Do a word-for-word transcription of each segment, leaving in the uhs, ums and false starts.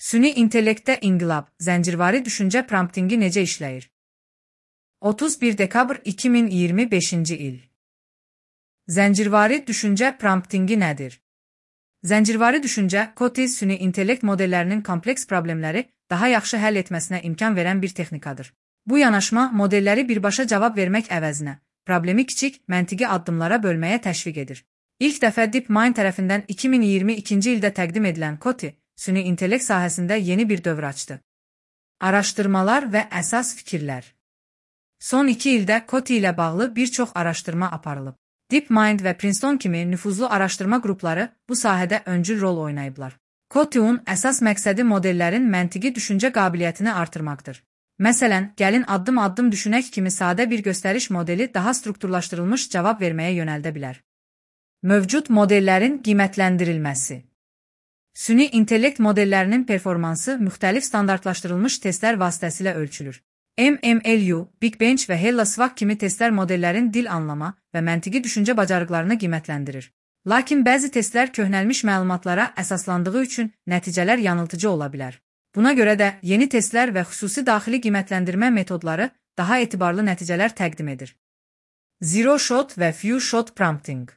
Süni intellektdə inqilab, zəncirvari düşüncə promptingi necə işləyir? otuz bir dekabr iki min iyirmi beşinci il. Zəncirvari düşüncə promptingi nədir? Zəncirvari düşüncə, Coty süni intellekt modellərinin kompleks problemləri daha yaxşı həll etməsinə imkan verən bir texnikadır. Bu yanaşma modelləri birbaşa cavab vermək əvəzinə, problemi kiçik, məntiqi addımlara bölməyə təşviq edir. İlk dəfə DeepMind tərəfindən iki min iyirmi ikinci ildə təqdim edilən Coty, süni intellekt sahəsində yeni bir dövr açdı. Araşdırmalar və əsas fikirlər. Son iki ildə Coty ilə bağlı bir çox araşdırma aparılıb. DeepMind və Princeton kimi nüfuzlu araşdırma qrupları bu sahədə öncül rol oynayıblar. Coty-un əsas məqsədi modellərin məntiqi düşüncə qabiliyyətini artırmaqdır. Məsələn, gəlin addım-addım düşünək kimi sadə bir göstəriş modeli daha strukturlaşdırılmış cavab verməyə yönəldə bilər. Mövcud modellərin qiymətləndirilməsi. Süni intellekt modellərinin performansı müxtəlif standartlaşdırılmış testlər vasitəsilə ölçülür. M M L U, Big Bench və HellaSwag kimi testlər modellərin dil anlama və məntiqi düşüncə bacarıqlarını qiymətləndirir. Lakin bəzi testlər köhnəlmiş məlumatlara əsaslandığı üçün nəticələr yanıltıcı ola bilər. Buna görə də yeni testlər və xüsusi daxili qiymətləndirmə metodları daha etibarlı nəticələr təqdim edir. Zero Shot və Few Shot Prompting.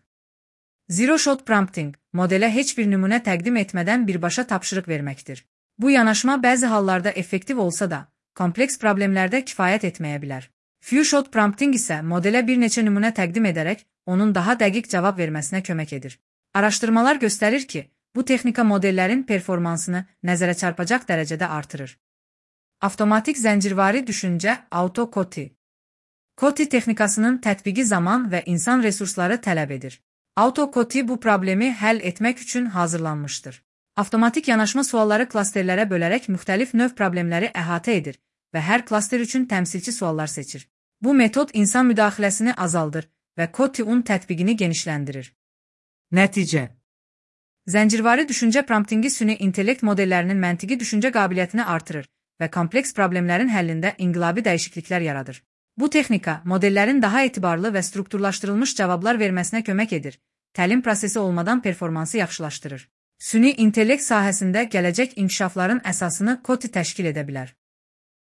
Zero Shot Prompting, modelə heç bir nümunə təqdim etmədən birbaşa tapşırıq verməkdir. Bu yanaşma bəzi hallarda effektiv olsa da, kompleks problemlərdə kifayət etməyə bilər. Few Shot Prompting isə modelə bir neçə nümunə təqdim edərək, onun daha dəqiq cavab verməsinə kömək edir. Araşdırmalar göstərir ki, bu texnika modellərin performansını nəzərə çarpacaq dərəcədə artırır. Avtomatik zəncirvari düşüncə Auto-Coty. Coty texnikasının tətbiqi zaman və insan resursları tələb edir. Auto-Coty bu problemi həll etmək üçün hazırlanmışdır. Avtomatik yanaşma sualları klasterlərə bölərək müxtəlif növ problemləri əhatə edir və hər klaster üçün təmsilçi suallar seçir. Bu metod insan müdaxiləsini azaldır və Coty-un tətbiqini genişləndirir. Nəticə. Zəncirvari düşüncə promptingi süni intellekt modellərinin məntiqi düşüncə qabiliyyətini artırır və kompleks problemlərin həllində inqilabi dəyişikliklər yaradır. Bu texnika modellərin daha etibarlı və strukturlaşdırılmış cavablar verməsinə kömək edir, təlim prosesi olmadan performansı yaxşılaşdırır. Süni intellekt sahəsində gələcək inkişafların əsasını Coty təşkil edə bilər.